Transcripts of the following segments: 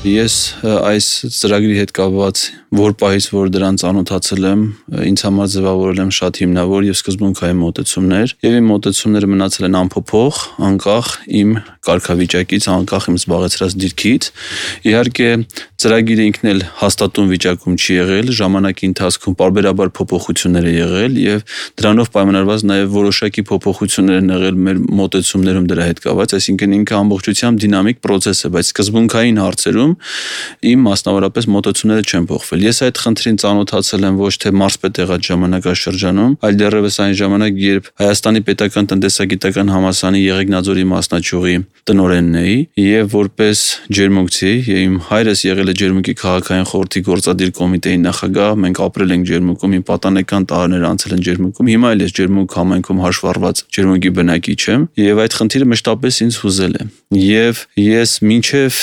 Ես այս ծրագրի հետ կապված որ պահից, որ դրան ծանոթացել եմ, ինձ համար ձևավորել եմ շատ հիմնավոր եւ սկզբունքային մոտեցումներ, եւ իմ մոտեցումները մնացել են անփոփոխ, անկախ իմ կարգավիճակից, անկախ իմ զբաղեցրած դիրքից։ Իհարկե, ծրագիրը ինքն էլ հաստատուն վիճակում չի եղել, ժամանակի ընթացքում պարբերաբար փոփոխություններ է եղել եւ դրանով պայմանավորված նաեւ որոշակի փոփոխություններ են եղել մեր մոտեցումներում դրա հետ կապված, այսինքն ինքը ամբողջությամբ դինամիկ process է, բայց սկզբունքային հարցերում իմ մասնավորապես մոտեցումները չեն փոխվել։ Ես այդ խնդրին ծանոթացել եմ ոչ թե մարզպետ եղած ժամանակաշրջանում, այլ դեռևս այն ժամանակ, երբ Հայաստանի Պետական տնտեսագիտական համալսարանի Եղեգնաձորի մասնաճյուղի տնօրենն էի եւ որպես ջերմուկցի, իմ հայրս եղել է ջերմուկի քաղաքային խորհրդի գործադիր կոմիտեի նախագահ, մենք ապրել ենք ջերմուկում, իմ պատանեկան տարիներ անցել են ջերմուկում, հիմա էլ ես ջերմուկ համայնքում հաշվառված ջերմուկի բնակիչ եմ եւ այդ խնդիրը մշտապես ինձ հուզել է։ Եվ ես մինչև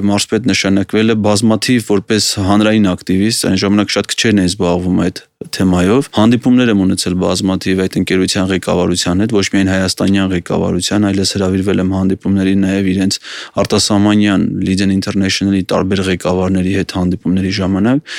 մարզպետ նշանակվել է բազմաթիվ որպես հանրային ակտիվիստ, այն ժամանակ շատ քչերն էին զբաղվում այդ թեմայով, հանդիպումներ եմ ունեցել բազմաթիվ այդ ընկերության ղեկավարության հետ, ոչ միայն հայաստանյան ղեկավարության, այլև հրավիրվել եմ հանդիպումների նաև իրենց արտասահմանյան Legion International-ի տարբեր ղեկավարների հետ հանդիպումների ժամանակ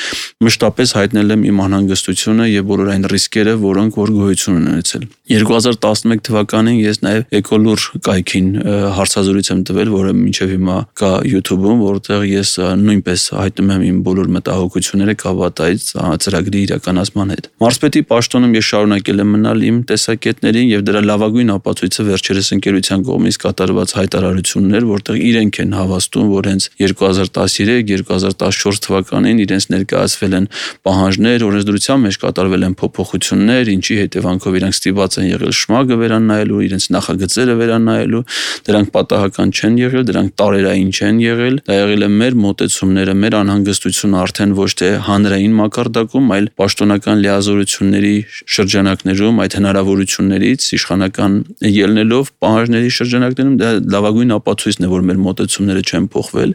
մշտապես հայտնել եմ իմ անհանգստությունը եւ բոլոր այն ռիսկերը, որոնք որ գոյություն ունեն ունեցել։ 2011 թվականին ես նաև Էկոլուր կայքին հարցազրույց եմ տվել, որը մինչև հիմա կա YouTube-ում, որտեղ ես նույնպես հայտնում եմ իմ բոլոր մտահոգությունները կապված այդ ծրագրի իրականացման հետ։ Մարզպետի պաշտոնում ես շարունակել եմ մնալ իմ տեսակետներին եւ դրա լավագույն ապացույցը վերջերս ընկերության կողմից կատարված հայտարարություններ, որտեղ իրենք են հավաստում, որ հենց 2013-2014 թվականին իրենց ներկայացվել են պահանջներ, օրենսդրության մեջ կատարվել են փոփոխություններ, ինչի հետևանքով իրենք ստիպված են եղել շմագը վերանայելու, իրենց նախագծերը վերանայելու, դրանք պատահական չեն եղել, դրանք տարերային չեն եղել, դա եղել է մեր մոտեցումները, մեր անհանգստությունը արդեն ոչ թե հանրային մակարդակում, այլ պաշտոնական լիազորությունների շրջանակներում, այդ հնարավորություններից իշխանական ելնելով պահանջների շրջանակներում դա լավագույն ապացույցն է, որ մեր մոտեցումները չեն փոխվել